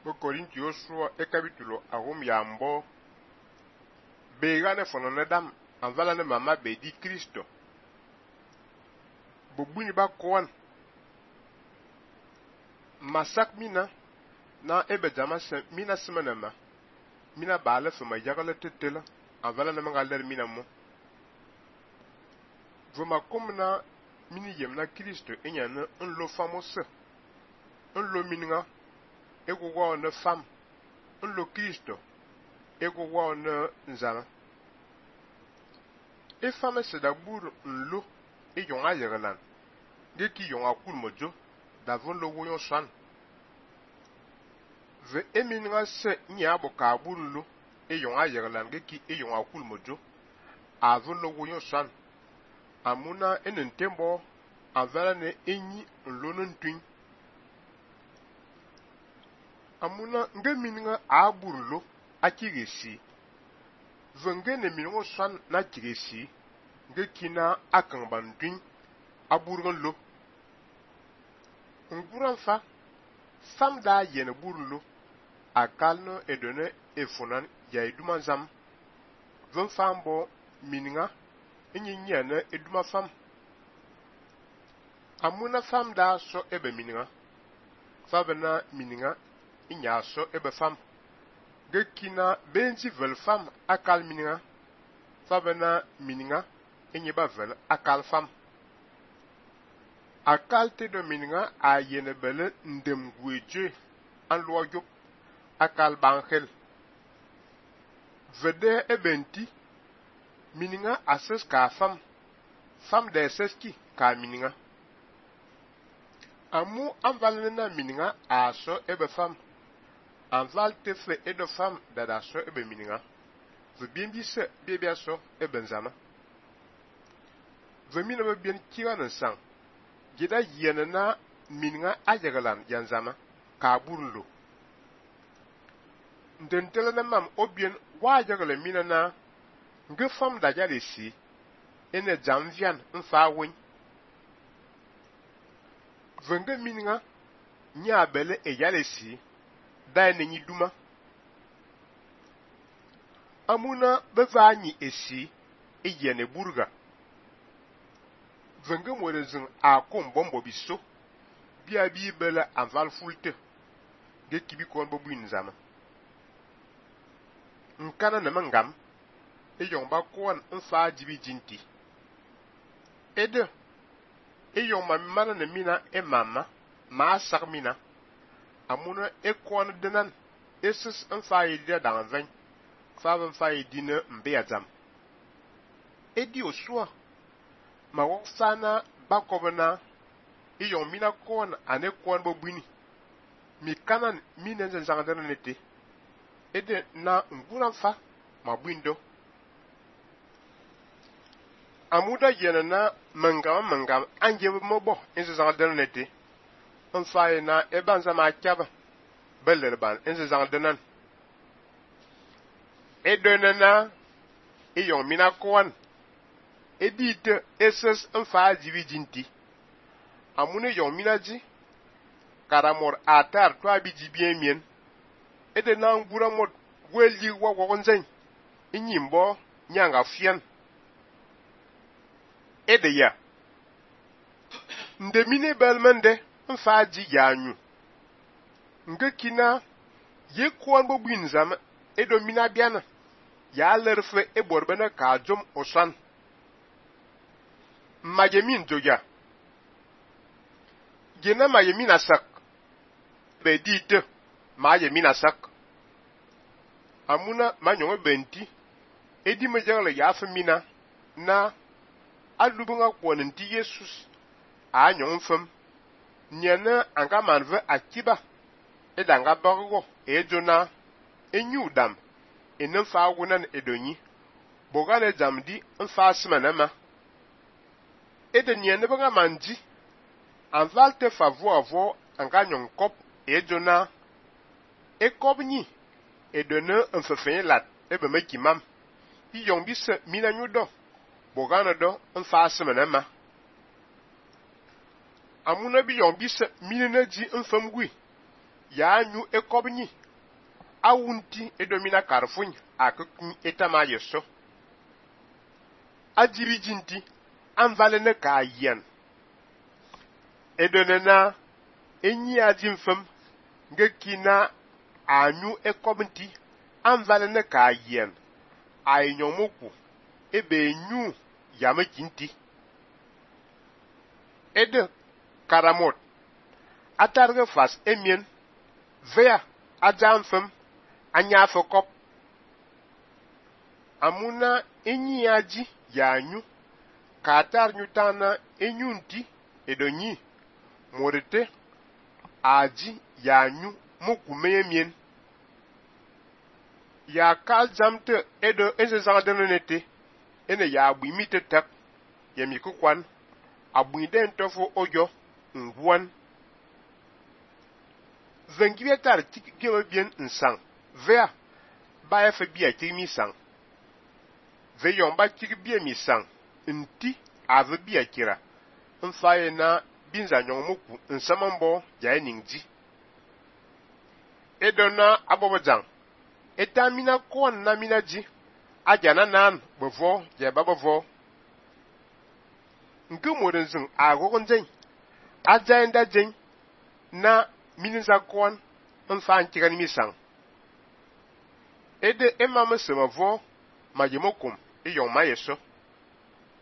Bo Korintio sua e capítulo agum yambo begane fono dam anvala ne mama be di Kristo. Bo buni ba koan masak mina na ebe jama se mina semenema mina bale fema yagale tetela anvala ne mangaler mina mo. Voma komna mini yemna Kristo enyane nlo famose nlo mininga ego ne fam nlo Kristo ego ne nzama e fame se da bur nlo e yonga yegelan de ki yonga kul mojo da von lo woyon swan ve eminga se nya bo ka bur nlo e yonga yegelan de ki e yonga kul mojo a von lo woyon swan amuna enen tembo avara ne enyi nlo ntwin amuna nge mininga a bur nlo akigesi venge ne minongo swan na kigesi nge kina akan bandwin aburgan lo nguran fa sam da yene burlo akalno edone efonan ya eduma zam ven fambo mininga enyinyane eduma fam amuna fam da so ebe mininga fabena mininga inya so ebe fam ge kina benji vel fam akal mininga fabena mininga enyiba vel akal fam akal te do mininga a yene bele ndem gweje an lo yop akal bankhel vede ebenti mininga ases ka fam de seski ka mininga amu anvalne na mininga aso ebe fam anval te fe edo fam dada so ebe mininga ve bien bi se bebia so ebe nzama ve mina be bien kiwa sang gida yene na mininga ajegalan yanzama ka burlo ndentele na mam obien wajagale mina na nge fam da jale si ene jamvian mfa win venge mininga nya bele e jale si da ene nyi duma amuna bevanyi esi e yene burga venge morezin a kombombo biso bia bi bele anval fulte de kibi kon bo buin zama nkana na mangam e yomba kon nfa jibi jinti ede e yomma mana na mina e mama ma sak mina amuna e kon denan esis nfa yidi da ven fa ban fa yidi na mbe azam edi osua ma wok sana bakobana iyon mina kon ane kon bo buni mi kanan minen zangandana nete ede na nguran fa ma buindo amuda yena na mangam anje mobo enze zangandana nete on faye na ebanza ma kyaba belerban enze zangandana edena na iyon mina kon edite eses mfa jibi jinti amune yon minaji karamor atar to abiji bien mien ede na ngura mod weldi wagonzen inyimbo nyanga fian ede ya ndemine belmende mfa ji yanyu nge kina ye kwon bo buinzam edo mina biana ya lerfe eborbena ka jom osan majemin joja gena majemin asak be dite majemin asak amuna manyo benti edi mejale ya famina na alubunga kwonenti Jesus anyo mfam nyana anga manve akiba edanga bargo ejona enyudam enfa agunan edonyi bogale jamdi mfa smanama ede nyene banga manji anval te favo avo anga nyon kop ejona ekobni edone mfefen lat ebe mekimam iyon bisa mina nyudo bogana do mfa smanama amuna bi yon bisa mina ji mfam gui ya nyu ekobni awunti edomina karfuny akukun etama yeso ajiri jinti anvalene ka yen edonena enyi ajimfem ngekina anyu ekobnti anvalene ka yen ainyomoku ebe nyu yamekinti ede karamot atarge fas emien vea ajamfem anya fokop amuna enyi aji yanyu katar nyutana enyunti edonyi morete aji yanyu mokumeyemien ya kaljamte edo ezezandenete ene ya abuimite tak yemikukwan abuinde ntofo ojo ngwan vengibetar tikgeme bien nsang vea ba efe bia tigmi sang ve yomba tigbie mi sang nti ave bia kira mfaye na binza nyongmuku nsamambo jaye ningji edona abobojang etamina kon na minaji ajana nan bevo je babovo nkumurinzing agogonjen ajaenda jen na mininza kon mfa ntigan misang ede emama semavo majemokum eyong mayeso